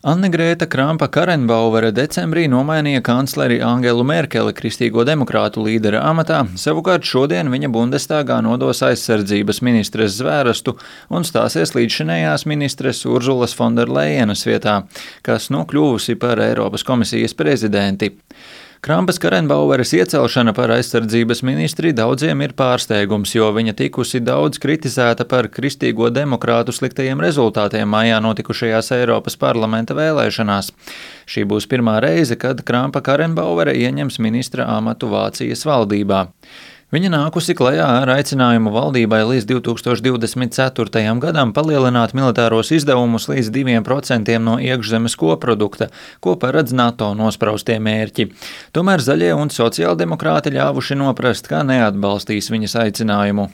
Anne-Grēta Krampa-Karrenbauere decembrī nomainīja kancleri Angelu Merkeli Kristīgo demokrātu līdera amatā, savukārt šodien viņa Bundestāgā nodos aizsardzības ministres zvērstu un stāsies līdzšinējās ministres Urzulas Fonderlejenas vietā, kas kļuvusi par Eiropas komisijas prezidenti. Krampas-Karrenbaueres iecelšana par aizsardzības ministri daudziem ir pārsteigums, jo viņa tikusi daudz kritizēta par Kristīgo demokrātu sliktajiem rezultātiem maijā notikušajās Eiropas parlamenta vēlēšanās. Šī būs pirmā reize, kad Krampa-Karrenbauere ieņems ministra amatu Vācijas valdībā. Viņa nākusi klajā ar aicinājumu valdībai līdz 2024. gadam palielināt militāros izdevumus līdz 2% no iekšzemes koprodukta, ko paredz NATO nospraustie mērķi. Tomēr zaļie un sociāldemokrāti ļāvuši noprast, ka neatbalstīs viņas aicinājumu.